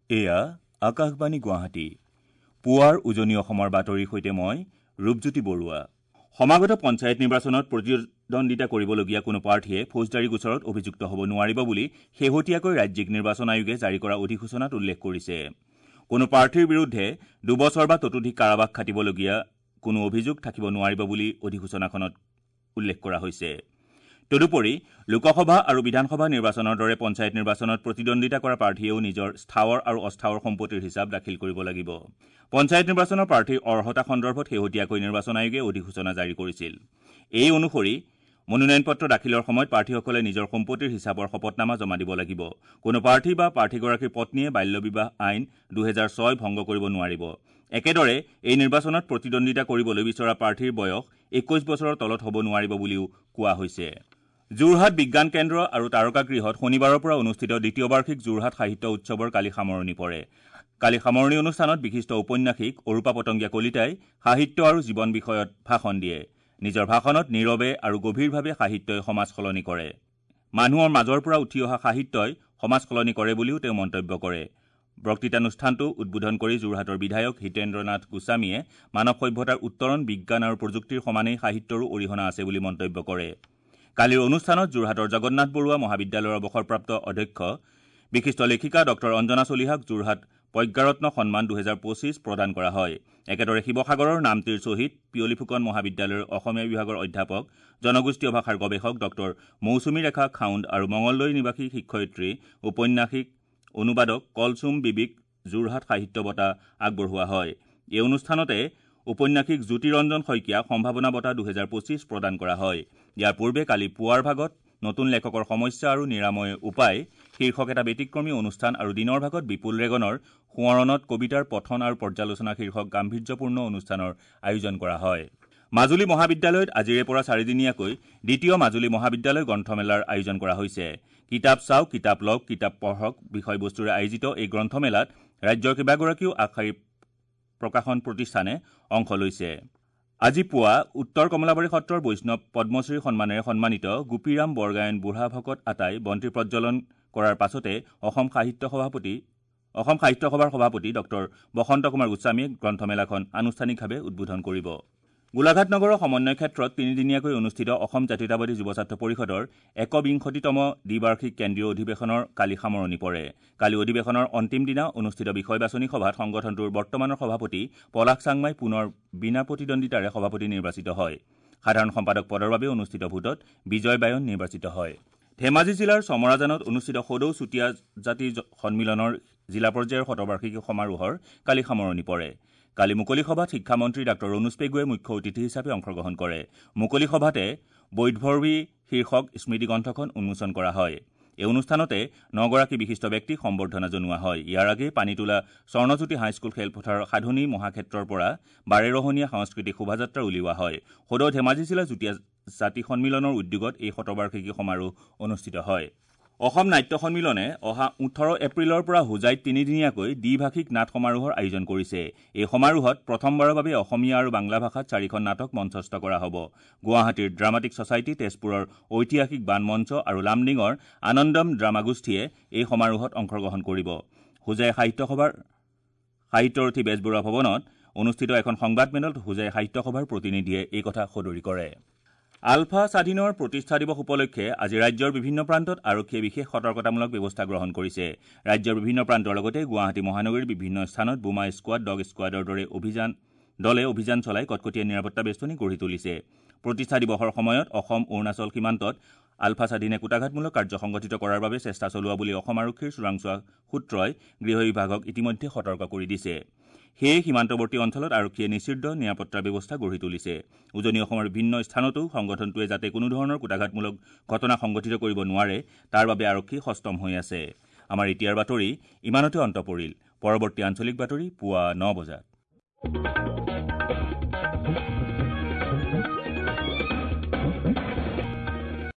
এয়া আকাশবাণী গুৱাহাটী। পুৱাৰ উজনি অসমৰ বাতৰিৰ সৈতে মই ৰূপজ্যোতি বৰুৱা। সমাগত পঞ্চায়ত নিৰ্বাচনত প্ৰতিদ্বন্দ্বিতা কৰিবলগীয়া কোনো প্ৰাৰ্থীয়ে ফৌজদাৰী গোচৰত অভিযুক্ত হ'ব নোৱাৰিব বুলি শেহতীয়াকৈ ৰাজ্যিক নিৰ্বাচন আয়োগে জাৰি কৰা অধিসূচনাত উল্লেখ কৰিছে। কোনো প্ৰাৰ্থীৰ বিৰুদ্ধে 2 বছৰ বা ততোধিক কাৰাবাস খাটিবলগীয়া কোনো অভিযোগ থাকিব নোৱাৰিব বুলি অধিসূচনাখনত উল্লেখ কৰা হৈছে। তদুপৰি লোকসভা আৰু বিধানসভা নিৰ্বাচনৰ দৰে পঞ্চায়ত নিৰ্বাচনত প্ৰতিদ্বন্দ্বিতা কৰা প্ৰাৰ্থীয়েও নিজৰ স্থাৱৰ আৰু অস্থাৱৰ সম্পত্তিৰ হিচাপ দাখিল কৰিব লাগিব। পঞ্চায়ত নিৰ্বাচনৰ প্ৰাৰ্থীৰ অৰ্হতা সন্দৰ্ভত শেহতীয়াকৈ নিৰ্বাচন আয়োগে অধিসূচনা জাৰি কৰিছিল। এই অনুসৰি মনোনয়ন পত্ৰ দাখিলৰ সময়ত প্ৰাৰ্থীসকলে নিজৰ সম্পত্তিৰ হিচাপৰ শপতনামা জমা দিব লাগিব। কোনো প্ৰাৰ্থী বা প্ৰাৰ্থীগৰাকীৰ পত্নীয়ে বাল্য বিবাহ আইন 2006 ভংগ কৰিব নোৱাৰিব। একেদৰে এই নিৰ্বাচনত প্ৰতিদ্বন্দ্বিতা কৰিবলৈ বিচৰা প্ৰাৰ্থীৰ বয়স 21 বছৰৰ তলত হ'ব নোৱাৰিব বুলিও কোৱা হৈছে। যোৰহাট বিজ্ঞান কেন্দ্ৰ আৰু তাৰকাগৃহত শনিবাৰৰ পৰা অনুষ্ঠিত দ্বিতীয় বাৰ্ষিক যোৰহাট সাহিত্য উৎসৱৰ কালি সামৰণি পৰে। কালি সামৰণি অনুষ্ঠানত বিশিষ্ট ঔপন্যাসিক অৰূপা পতংগীয়া কলিতাই সাহিত্য আৰু জীৱন বিষয়ত ভাষণ দিয়ে। নিজৰ ভাষণত নীৰৱে আৰু গভীৰভাৱে সাহিত্যই সমাজ সলনি কৰে, মানুহৰ মাজৰ পৰা উঠি অহা সাহিত্যই সমাজ সলনি কৰে বুলিও তেওঁ মন্তব্য কৰে। বক্তৃতানুষ্ঠানটো উদ্বোধন কৰি যোৰহাটৰ বিধায়ক হিতেন্দ্ৰ নাথ গোস্বামীয়ে মানৱ সভ্যতাৰ উত্তৰণ বিজ্ঞান আৰু প্ৰযুক্তিৰ সমানেই সাহিত্যৰো অৰিহণা আছে বুলি মন্তব্য কৰে। কালিৰ অনুষ্ঠানত যোৰহাটৰ জগন্নাথ বৰুৱা মহাবিদ্যালয়ৰ অৱসৰপ্ৰাপ্ত অধ্যক্ষ বিশিষ্ট লেখিকা ডক্টৰ অঞ্জনা চলিহাক যোৰহাট প্ৰজ্ঞাৰত্ন সন্মান 2025 প্ৰদান কৰা হয়। একেদৰে শিৱসাগৰৰ নামতিৰ শ্বহীদ পিয়লি ফুকন মহাবিদ্যালয়ৰ অসমীয়া বিভাগৰ অধ্যাপক জনগোষ্ঠীয় ভাষাৰ গৱেষক ডক্টৰ মৌচুমী ৰেখা খাউণ্ড আৰু মঙলদৈ নিবাসী শিক্ষয়িত্ৰী ঔপন্যাসিক অনুবাদক কলচুম বিবিক যোৰহাট সাহিত্য বঁটা আগবঢ়োৱা হয়। এই অনুষ্ঠানতে ঔপন্যাসিক জ্যোতিৰঞ্জন শইকীয়াক সম্ভাৱনা বঁটা 2025 প্ৰদান কৰা হয়। ইয়াৰ পূৰ্বে কালি পুৱাৰ ভাগত নতুন লেখকৰ সমস্যা আৰু নিৰাময় উপায় শীৰ্ষক এটা ব্যতিক্ৰমী অনুষ্ঠান আৰু দিনৰ ভাগত বিপুল ৰেগনৰ সোঁৱৰণত কবিতাৰ পঠন আৰু পৰ্যালোচনা শীৰ্ষক গাম্ভীৰ্যপূৰ্ণ অনুষ্ঠানৰ আয়োজন কৰা হয়। মাজুলী মহাবিদ্যালয়ত আজিৰে পৰা চাৰিদিনীয়াকৈ দ্বিতীয় মাজুলী মহাবিদ্যালয় গ্ৰন্থমেলাৰ আয়োজন কৰা হৈছে। কিতাপ চাওক, কিতাপ লওক, কিতাপ পঢ়ক বিষয়বস্তুৰে আয়োজিত এই গ্ৰন্থমেলাত ৰাজ্যৰ কেইবাগৰাকীও আগশাৰীৰ প্ৰকাশন প্ৰতিষ্ঠানে অংশ লৈছে। আজি পুৱা উত্তৰ কমলাবাৰী সত্ৰৰ বৈষ্ণৱ পদ্মশ্ৰী সন্মানেৰে সন্মানিত গোপীৰাম বৰগায়ন বুঢ়া ভকত আতাই বন্তি প্ৰজ্বলন কৰাৰ পাছতে অসম সাহিত্য সভাৰ সভাপতি ডক্টৰ বসন্ত কুমাৰ গোস্বামীয়ে গ্ৰন্থমেলাখন আনুষ্ঠানিকভাৱে উদ্বোধন কৰিব। গোলাঘাট নগৰৰ সমন্বয় ক্ষেত্ৰত তিনিদিনীয়াকৈ অনুষ্ঠিত অসম জাতীয়তাবাদী যুৱ ছাত্ৰ পৰিষদৰ 21তম দ্বিবাৰ্ষিক কেন্দ্ৰীয় অধিৱেশনৰ কালি সামৰণি পৰে। কালি অধিৱেশনৰ অন্তিম দিনা অনুষ্ঠিত বিষয় বাছনি সভাত সংগঠনটোৰ বৰ্তমানৰ সভাপতি পলাশ চাংমাই পুনৰ বিনা প্ৰতিদ্বন্দ্বিতাৰে সভাপতি নিৰ্বাচিত হয়। সাধাৰণ সম্পাদক পদৰ বাবে অনুষ্ঠিত ভোটত বিজয় বায়ন নিৰ্বাচিত হয়। ধেমাজি জিলাৰ চমৰাজানত অনুষ্ঠিত সদৌ চুতীয়া জাতি সন্মিলনৰ জিলা পৰ্যায়ৰ শতবাৰ্ষিকী সমাৰোহৰ কালি সামৰণি পৰে। কালি মুকলি সভাত শিক্ষামন্ত্ৰী ডাঃ ৰণোজ পেগুৱে মুখ্য অতিথি হিচাপে অংশগ্ৰহণ কৰে। মুকলি সভাতে বৈধভৰ্বী শীৰ্ষক স্মৃতিগ্ৰন্থখন উন্মোচন কৰা হয়। এই অনুষ্ঠানতে 9গৰাকী বিশিষ্ট ব্যক্তিক সম্বৰ্ধনা জনোৱা হয়। ইয়াৰ আগেয়ে পানীতোলা স্বৰ্ণজ্যোতি হাইস্কুল খেলপথাৰৰ সাধনী মহাক্ষেত্ৰৰ পৰা বাৰেৰহণীয়া সাংস্কৃতিক শোভাযাত্ৰা উলিওৱা হয়। সদৌ ধেমাজি জিলা যুটীয়া জাতি সন্মিলনৰ উদ্যোগত এই শতবাৰ্ষিকী সমাৰোহ অনুষ্ঠিত হয়। অসম নাট্য সন্মিলনে অহা 18 এপ্ৰিলৰ পৰা হোজাইত তিনিদিনীয়াকৈ দ্বিভাষিক নাট সমাৰোহৰ আয়োজন কৰিছে। এই সমাৰোহত প্ৰথমবাৰৰ বাবে অসমীয়া আৰু বাংলা ভাষাত 4খন নাটক মঞ্চস্থ কৰা হ'ব। গুৱাহাটীৰ ড্ৰামাটিক ছ'চাইটি, তেজপুৰৰ ঐতিহাসিক বান মঞ্চ আৰু লামডিঙৰ আনন্দম ড্ৰামা গোষ্ঠীয়ে এই সমাৰোহত অংশগ্ৰহণ কৰিব। হোজাই সাহিত্য সভাৰ সাহিত্যৰথী বেজবৰুৱা ভৱনত অনুষ্ঠিত এখন সংবাদমেলত হোজাই সাহিত্য সভাৰ প্ৰতিনিধিয়ে এই কথা সদৰি কৰে। আলফা স্বাধীনৰ প্ৰতিষ্ঠা দিৱস উপলক্ষে আজি ৰাজ্যৰ বিভিন্ন প্ৰান্তত আৰক্ষীয়ে বিশেষ সতৰ্কতামূলক ব্যৱস্থা গ্ৰহণ কৰিছে। ৰাজ্যৰ বিভিন্ন প্ৰান্তৰ লগতে গুৱাহাটী মহানগৰীৰ বিভিন্ন স্থানত বোমা স্কোৱাড, ডগ স্কোৱাডৰ দৰে দলে অভিযান চলাই কটকটীয়া নিৰাপত্তা বেষ্টনী গঢ়ি তুলিছে। প্ৰতিষ্ঠা দিৱসৰ সময়ত অসম অৰুণাচল সীমান্তত আলফা স্বাধীনে কূটাঘাতমূলক কাৰ্য সংগঠিত কৰাৰ বাবে চেষ্টা চলোৱা বুলি অসম আৰক্ষীৰ চোৰাংচোৱা সূত্ৰই গৃহ বিভাগক ইতিমধ্যে সতৰ্ক কৰি দিছে। সেয়ে সীমান্তৱৰ্তী অঞ্চলত আৰক্ষীয়ে নিষিদ্ধ নিৰাপত্তাৰ ব্যৱস্থা গঢ়ি তুলিছে। উজনি অসমৰ বিভিন্ন স্থানতো সংগঠনটোৱে যাতে কোনো ধৰণৰ কূটাঘাতমূলক ঘটনা সংঘটিত কৰিব নোৱাৰে তাৰ বাবে আৰক্ষী সষ্টম হৈ আছে। আমাৰ এতিয়াৰ বাতৰি ইমানতে অন্ত পৰিল। পৰৱৰ্তী আঞ্চলিক বাতৰি পুৱা 9 বজাত।